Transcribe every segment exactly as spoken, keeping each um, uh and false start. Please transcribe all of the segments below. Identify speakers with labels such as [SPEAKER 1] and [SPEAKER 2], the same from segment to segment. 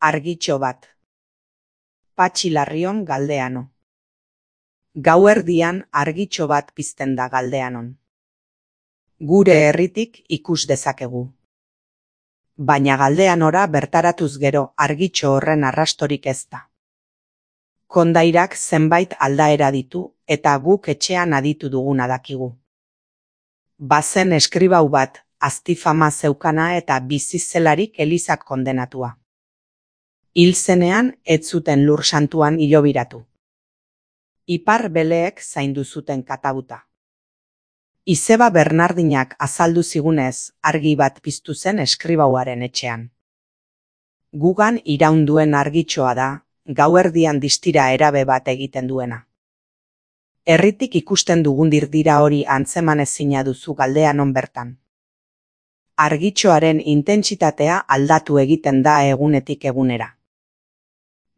[SPEAKER 1] Argitxo bat. Patxi Larrion Galdeano. Gauerdian argitxo bat pizten da Galdeanon. Gure herritik ikus dezakegu. Baina Galdeanora bertaratuz gero argitxo horren arrastorik ez da. Kondairak zenbait aldaera ditu eta guk etxean aditu duguna dakigu. Bazen eskribau bat, aztifama zeukana eta bizizelarik elizak kondenatua. Hil zenean ez zuten lur santuan hilobiratu. Ipar beleek zaindu zuten katabuta. Izeba Bernardinak azaldu zigunez argi bat piztu zen eskribauaren etxean. Gugan iraunduen argitxoa da, gauerdian distira erabe bat egiten duena. Herritik ikusten dugun dirdira hori antzeman ezina duzu Galdeanon bertan. Argitxoaren intentsitatea aldatu egiten da egunetik egunera.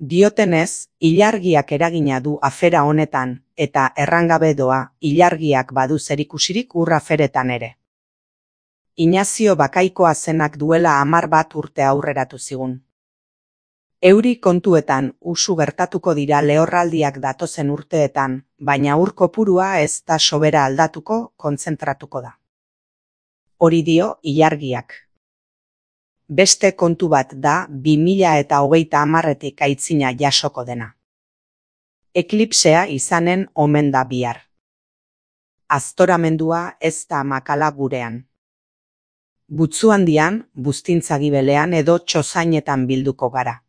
[SPEAKER 1] Diotenez, ilargiak eragina du afera honetan eta errangabe doa ilargiak badu zerikusirik ur aferetan ere. Inazio Bakaikoa zenak duela hamar bat urte aurreratu zigun. Euri kontuetan usu gertatuko dira lehorraldiak datozen urteetan, baina ur kopurua ez da sobera aldatuko, kontzentratuko da. Hori dio ilargiak. Beste kontu bat da bi mila eta hogeita hamarretik aitzina jasoko dena. Eklipsea izanen omen da bihar. Aztoramendua ez da makala gurean. Butzuandian, buztintzagibelean edo txozainetan bilduko gara.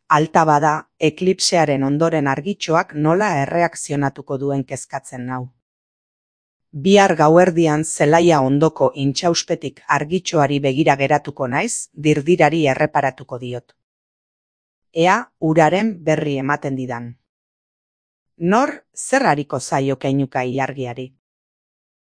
[SPEAKER 1] Alta bada, eklipsearen ondoren argitxoak nola erreakzionatuko duen kezkatzen nau. Bihar gauerdian zelaia ondoko intxauspetik argitxoari begira geratuko naiz, dirdirari erreparatuko diot. Ea uraren berri ematen didan. Nor zer hariko zaio keinuka ilargiari?